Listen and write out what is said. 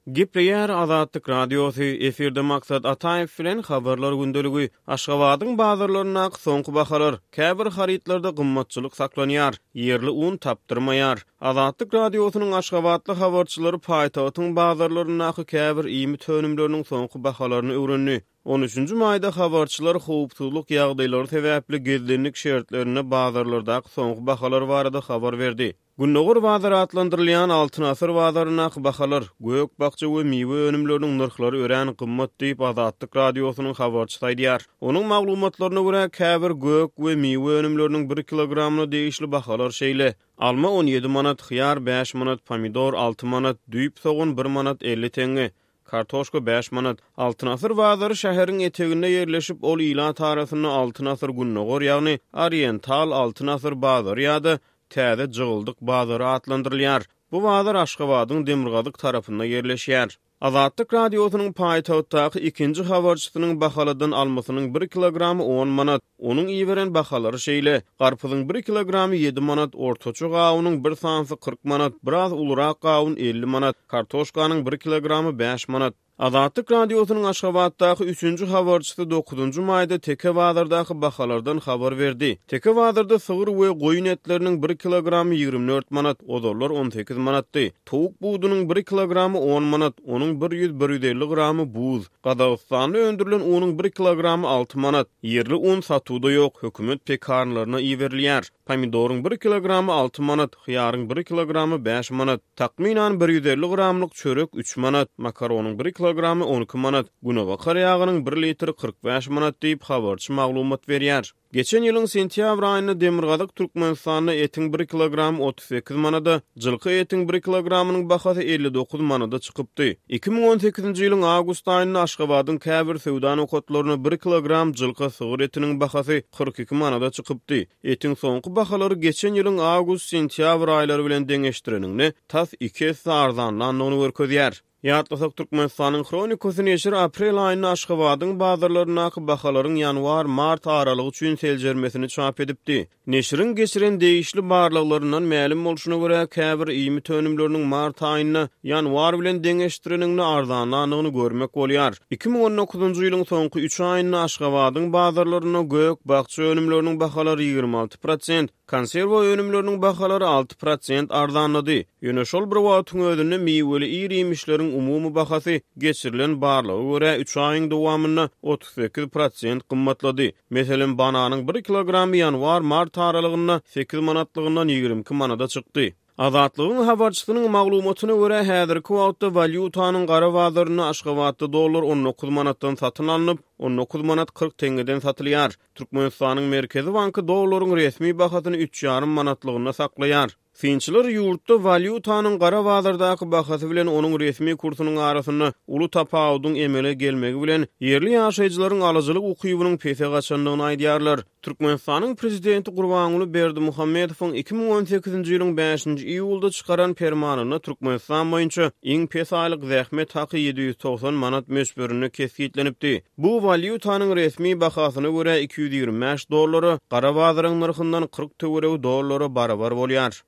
Gepleýär Azatlyk Radiosy, efirde Maksat Ataýew bilen Habarlar gündeligi. Aşgabadyň bazarlaryndaky soňky bahalar, käbir harytlarda gymmatçylyk saklanýar, ýerli un tapdyrmaýar. Azatlyk Radiosynyň aşgabatly habarçylary paýtagtyň bazarlaryndaky käbir iýmit önümleriniň soňky bahalaryny öwrendi. On üçünji maýda habarçylar howpsuzlyk ýagdaýlary sebäpli gizlinlik şertlerinde bazarlardaky soňky bahalar barada habar berdi. Gündogar bazary atlandyrylýan Altyn asyr bazaryndaky bahalar, gök-bakja we miwe önümleriniň nyrhlary örän gymmat diýip, Azatlyk Radiosynyň habarçysy aýdýar. Onuň maglumatlaryna görä, käbir gök we miwe önümleriniň bir kilogramyna degişli bahalar şeýle, alma 17 manat, hyýar bäş manat, pomidor alty manat, düýp sogan bir manat 50 teňňe, kartoşka bäş manat. Altyn asyr bazary şäheriň eteginde ýerleşip, ol ilat arasynda Altyn asyr Gündogar, ýagny Oriental Altyn asyr bazary ýa-da Täze Jygyldyk bazary atlandyrylýar. Bu bazar Aşgabadyň demirgazyk tarapynda ýerleşýär. Azatlyk Radiosynyň paýtagtdaky ikinji habarçysynyň bahaladan almasynyň bir kilogramy on manat. Onuň iberen bahalary şeýle, garpyzyň bir kilogramy ýedi manat, ortaça gawunyň bir sanysy 40 manat, biraz ulurak gawun 50 manat, kartoşkanyň bir kilogramy bäş manat. Azatlyk Radiosynyň Aşgabatdaky üçünji habarçysy dokuzynjy maýda Teke bazardaky bahalardan habar berdi. Teke bazarda sygyr we goýun etleriniň bir kilogramy 24 manat, ozallar 18 manatdy. Towuk budunyň bir kilogramy on manat, onuň bir ýüz-bir 150 gramy buz. Gazagystanda öndürilen unuň bir kilogramy alty manat. Ýerli un satuwda ýok, hökümet pekarnlaryna iberilýär. Pomidoryň bir kilogramy alty manat, hyýaryň bir kilogramy bäş manat. Takmynan 150 gramlyk çörek üç manat, makaronyň bir kilogramy 12 manat, günebakar ýagynyň bir litri 45 manat diýip, habarçy maglumat berýär. Geçen ýylyň sentýabr aýynda demirgazyk Türkmenistanda etiň bir kilogramy 38 manada, jylky etiň bir kilogramynyň bahasy 59 manada çykypdy. 2018-nji ýylyň awgust aýynda Aşgabadyň käbir söwda nokatlarynda bir kilogram jylka sygyr etiniň bahasy 42 manada çykypdy. Etiň soňky bahalary geçen ýylyň awgust-sentýabr aýlary bilen deňeşdireniňde, tas iki esse arzanlandygyny görkezýär. Ýatlasak, Türkmenistanyň Hronikasy neşiri aprel aýynda Aşgabadyň bazarlaryndaky bahalaryň ýanwar-mart aralygy üçin seljermesini çap edipdi. Neşiriň geçiren degişli barlaglaryndan mälim bolşuna görä, käbir iýmit önümleriniň mart aýynda ýanwar bilen deňeşdireniňde arzanlandygyny görmek bolýar. 2019-njy ýylyň soňky üç aýynda Aşgabadyň bazarlarynda gök-bakja önümleriniň bahalary 26 prosent, Konserwa önümleriniň bahalary 6% arzanlady. Ýöne şol bir wagtyň özünde miweli ir-iýmişleriň umumy bahasy geçirilen barlaga görä üç aýyň dowamynda 38% gymmatlady. Meselem, bananyň bir kilogramy ýanwar-mart aralygynda sekiz manatlygyndan 22 manada çykdy. Azatlygyň habarçysynyň maglumatyna görä, häzirki wagtda walýutanyň gara bazarynda Aşgabatda dollar 19 manatdan satyn alnyp, 19 manat 40 teňňeden satylýar. Türkmenistanyň Merkezi banky dollaryň resmi bahasyny üç ýarym manatlygynda saklaýar. Synçylar ýurtda walýutanyň gara bazardaky bahasy bilen onuň resmi kursunyň arasynda uly tapawudyň emele gelmegi bilen, ýerli ýaşaýjylaryň alyjylyk ukybynyň pese gaçandygyny aýdýarlar. Türkmenistanyň prezidenti Gurbanguly Berdimuhamedowyň 2018-nji ýylyň bäşinji iýulda çykaran permanynda Türkmenistan boýunça iň pes aýlyk zähmet haky 790 manat möçberinde kesgitlenipdi. Bu walýutanyň resmi bahasyna görä 225 dollara, gara bazaryň nyrhyndan 40 töweregi dollara barabar bolýar.